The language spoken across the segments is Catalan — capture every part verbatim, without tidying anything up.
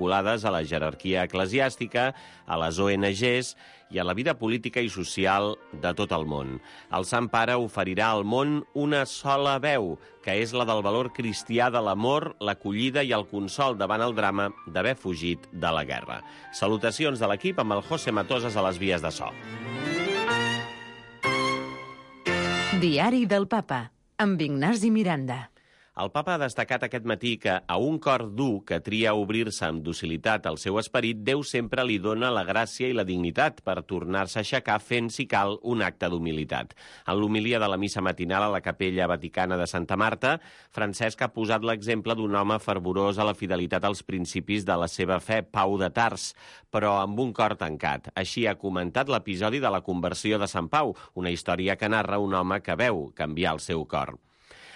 vinculades a la jerarquia eclesiàstica, a les O N Ges i a la vida política i social de tot el món. El Sant Pare oferirà al món una sola veu, que és la del valor cristià de l'amor, l'acollida i el consol davant el drama d'haver fugit de la guerra. Salutacions de l'equip amb el José Matosas a les vies de so. Diari del Papa, amb Ignasi Miranda. El papa ha destacat aquest matí que a un cor dur que tria obrir-se amb docilitat al seu esperit, Déu sempre li dona la gràcia i la dignitat per tornar-se a aixecar fent, si cal, un acte d'humilitat. En l'homilia de la missa matinal a la capella vaticana de Santa Marta, Francesc ha posat l'exemple d'un home fervorós a la fidelitat als principis de la seva fe, Pau de Tars, però amb un cor tancat. Així ha comentat l'episodi de la conversió de Sant Pau, una història que narra un home que veu canviar el seu cor.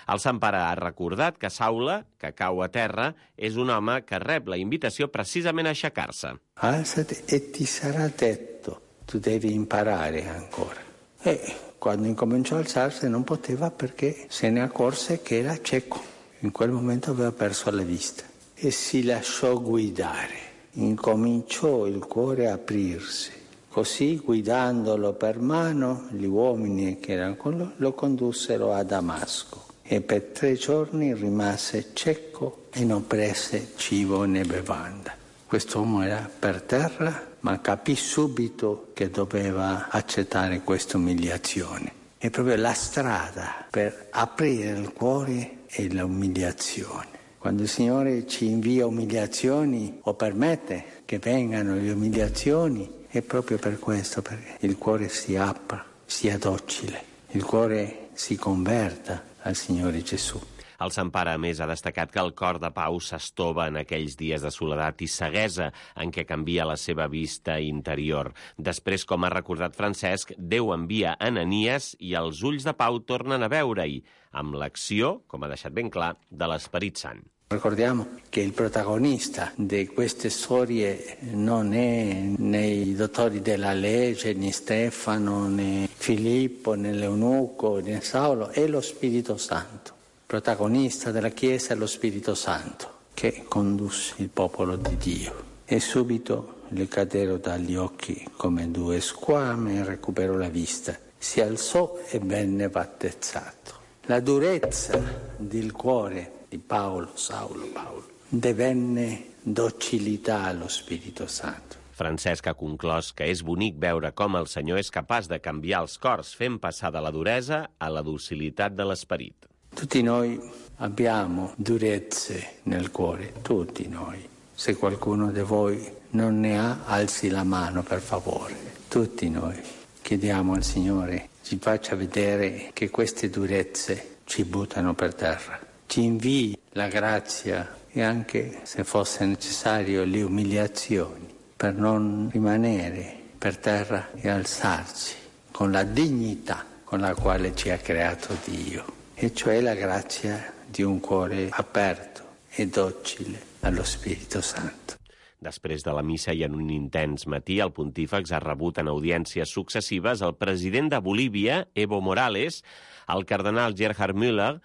El Sant Pare ha recordat que Saula, que cau a terra, és un home que rep la invitació precisament a aixecar-se. Alzati e ti sarà detto, tu devi imparare ancora. E quando incominciò a alzarsi non poteva perché se ne accorse che era cieco. In quel momento aveva perso la vista e si lasciò guidare. Incominciò il cuore a aprirsi. Così, guidandolo per mano, gli uomini che erano con lui lo condussero a Damasco. E per tre giorni rimase cieco e non prese cibo né bevanda. Quest'uomo era per terra, ma capì subito che doveva accettare questa umiliazione. È proprio la strada per aprire il cuore e l'umiliazione. Quando il Signore ci invia umiliazioni o permette che vengano le umiliazioni, è proprio per questo, perché il cuore si apra, sia docile, il cuore si converta al Signore Gesù. El Sant Pare, a més, ha destacat que el cor de Pau s'estova en aquells dies de soledat i ceguesa en què canvia la seva vista interior. Després, com ha recordat Francesc, Déu envia Ananies i els ulls de Pau tornen a veure-hi, amb l'acció, com ha deixat ben clar, de l'Esperit Sant. Ricordiamo che il protagonista di queste storie non è né i dottori della legge, né Stefano, né Filippo, né l'Eunuco, né Saulo, è lo Spirito Santo. Il protagonista della Chiesa è lo Spirito Santo che condusse il popolo di Dio. E subito gli caddero dagli occhi come due squame e recuperò la vista. Si alzò e venne battezzato. La durezza del cuore di Paolo, Saulo, Paolo, divenne docilità allo Spirito Santo. Francesc ha conclòs que és bonic veure com el Senyor és capaç de canviar els cors fent passar de la duresa a la docilitat de l'esperit. Tutti noi abbiamo durezze nel cuore, tutti noi. Se qualcuno di voi non ne ha, alzi la mano per favore. Tutti noi chiediamo al Signore ci faccia vedere che queste durezze ci buttano per terra. Ci invii la grazia e anche, se fosse necessario, le umiliazioni per non rimanere per terra e alzarci con la dignità con la quale ci ha creato Dio, e cioè la grazia di un cuore aperto e docile allo Spirito Santo. Després de la missa i en un intens matí, el pontífex ha rebut en audiències successives el president de Bolívia, Evo Morales, el cardenal Gerhard Müller,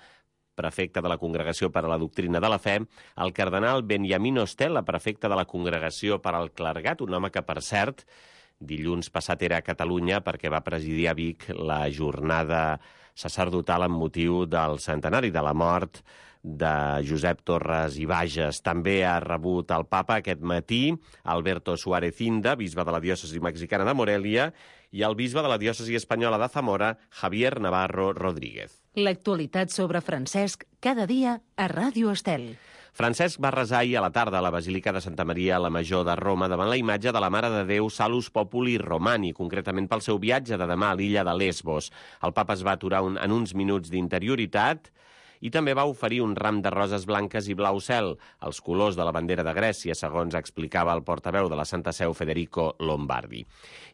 prefecte de la Congregació per a la Doctrina de la Fe, el cardenal Benjamín Ostella, prefecte de la Congregació per al Clergat, un home que, per cert, dilluns passat era a Catalunya perquè va presidir a Vic la jornada sacerdotal amb motiu del centenari de la mort de Josep Torres i Bages. També ha rebut el papa aquest matí Alberto Suárez Inda, bisbe de la diòcesi mexicana de Morelia, i el bisbe de la diòcesi espanyola de Zamora, Javier Navarro Rodríguez. L'actualitat sobre Francesc cada dia a Ràdio Estel. Francesc va resar ahir a la tarda a la Basílica de Santa Maria la Major de Roma davant la imatge de la Mare de Déu Salus Populi Romani, concretament pel seu viatge de demà a l'illa de Lesbos. El papa es va aturar un, en uns minuts d'interioritat i també va oferir un ram de roses blanques i blau cel, els colors de la bandera de Grècia, segons explicava el portaveu de la Santa Seu, Federico Lombardi.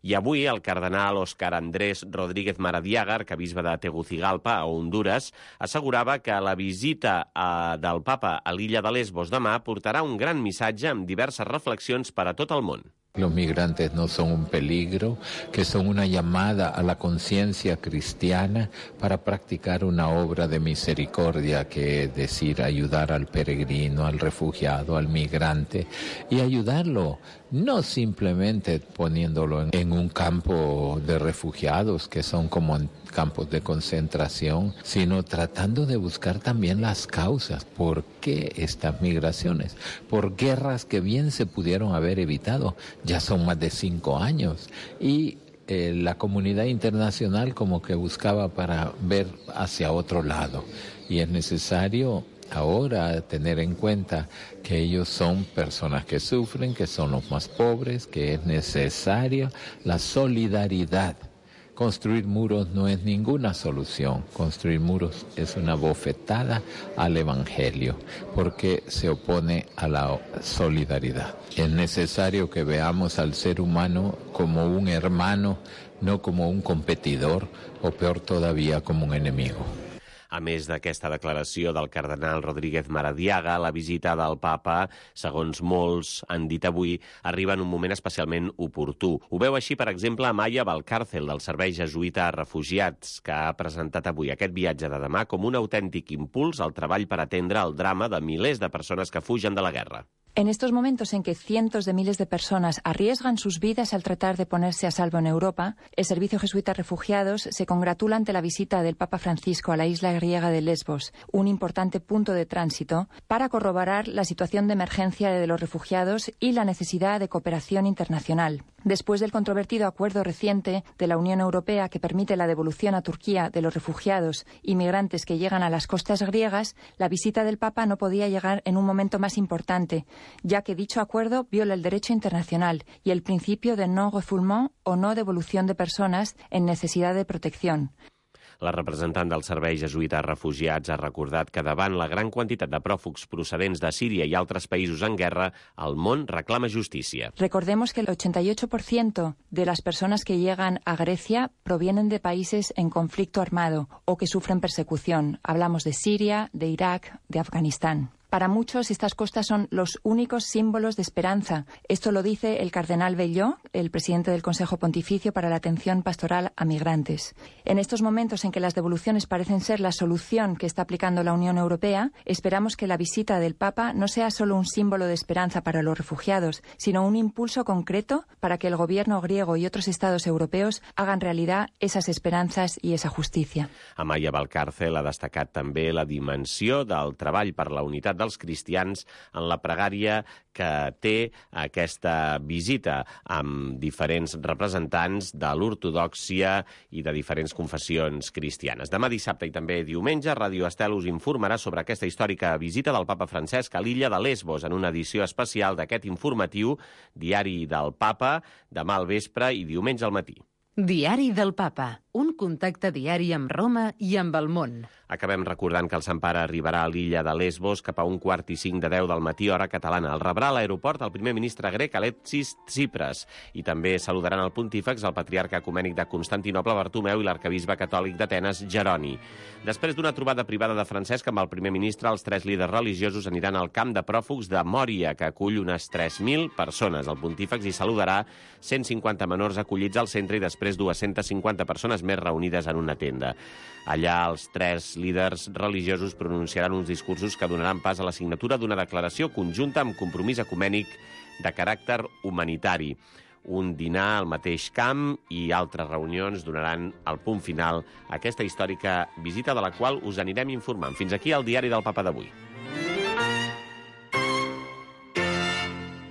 I avui el cardenal Óscar Andrés Rodríguez Maradiaga, arquebisbe de Tegucigalpa, a Hondures, assegurava que la visita a, del papa a l'illa de Lesbos demà portarà un gran missatge amb diverses reflexions per a tot el món. Los migrantes no son un peligro, que son una llamada a la conciencia cristiana para practicar una obra de misericordia, que es decir, ayudar al peregrino, al refugiado, al migrante, y ayudarlo, no simplemente poniéndolo en, en un campo de refugiados, que son como campos de concentración, sino tratando de buscar también las causas. ¿Por qué estas migraciones? Por guerras que bien se pudieron haber evitado. Ya son más de cinco años y eh, la comunidad internacional como que buscaba para ver hacia otro lado. Y es necesario ahora tener en cuenta que ellos son personas que sufren, que son los más pobres, que es necesaria la solidaridad. Construir muros no es ninguna solución. Construir muros es una bofetada al Evangelio, porque se opone a la solidaridad. Es necesario que veamos al ser humano como un hermano, no como un competidor, o peor todavía, como un enemigo. A més d'aquesta declaració del cardenal Rodríguez Maradiaga, la visita del papa, segons molts han dit avui, arriba en un moment especialment oportú. Ho veu així, per exemple, Amaya Valcárcel, del Servei Jesuïta a Refugiats, que ha presentat avui aquest viatge de demà com un autèntic impuls al treball per atendre el drama de milers de persones que fugen de la guerra. En estos momentos en que cientos de miles de personas arriesgan sus vidas al tratar de ponerse a salvo en Europa, el Servicio Jesuita Refugiados se congratula ante la visita del Papa Francisco a la isla griega de Lesbos, un importante punto de tránsito, para corroborar la situación de emergencia de los refugiados y la necesidad de cooperación internacional. Después del controvertido acuerdo reciente de la Unión Europea que permite la devolución a Turquía de los refugiados y migrantes que llegan a las costas griegas, la visita del Papa no podía llegar en un momento más importante, ya que dicho acuerdo viola el derecho internacional y el principio de non-refoulement o no devolución de personas en necesidad de protección. La representant del Servei Jesuïta a Refugiats ha recordat que davant la gran quantitat de pròfugs procedents de Síria i altres països en guerra, el món reclama justícia. Recordemos que el ochenta y ocho por ciento de las personas que llegan a Grecia provienen de países en conflicto armado o que sufren persecución. Hablamos de Siria, de Irak, de Afganistán. Para muchos, estas costas son los únicos símbolos de esperanza. Esto lo dice el cardenal Belló, el presidente del Consejo Pontificio para la Atención Pastoral a Migrantes. En estos momentos en que las devoluciones parecen ser la solución que está aplicando la Unión Europea, esperamos que la visita del Papa no sea solo un símbolo de esperanza para los refugiados, sino un impulso concreto para que el gobierno griego y otros estados europeos hagan realidad esas esperanzas y esa justicia. Amaya Valcárcel ha destacat també la dimensió del treball per la unitat dels cristians en la pregària que té aquesta visita amb diferents representants de l'ortodòxia i de diferents confessions cristianes. Demà dissabte i també diumenge, Ràdio Estel us informarà sobre aquesta històrica visita del Papa Francesc a l'illa de Lesbos en una edició especial d'aquest informatiu Diari del Papa, demà al vespre i diumenge al matí. Diari del Papa, un contacte diari amb Roma i amb el món. Acabem recordant que el Sant Pare arribarà a l'illa de Lesbos cap a un quart i cinc de deu del matí, hora catalana. El rebrà a l'aeroport el primer ministre grec Alexis Tsipras i també saludaran el pontífex, el patriarca ecumènic de Constantinoble Bartomeu i l'arcabisbe catòlic d'Atenes Jeroni. Després d'una trobada privada de Francesc amb el primer ministre, els tres líders religiosos aniran al camp de pròfugs de Mòria, que acull unes tres mil persones. El pontífex hi saludarà cent cinquanta menors acollits al centre i després dues-centes cinquanta persones més reunides en una tenda. Allà els tres líders religiosos pronunciaran uns discursos que donaran pas a la signatura d'una declaració conjunta amb compromís ecumènic de caràcter humanitari. Un dinar al mateix camp i altres reunions donaran el punt final a aquesta històrica visita de la qual us anirem informant. Fins aquí el Diari del Papa d'avui.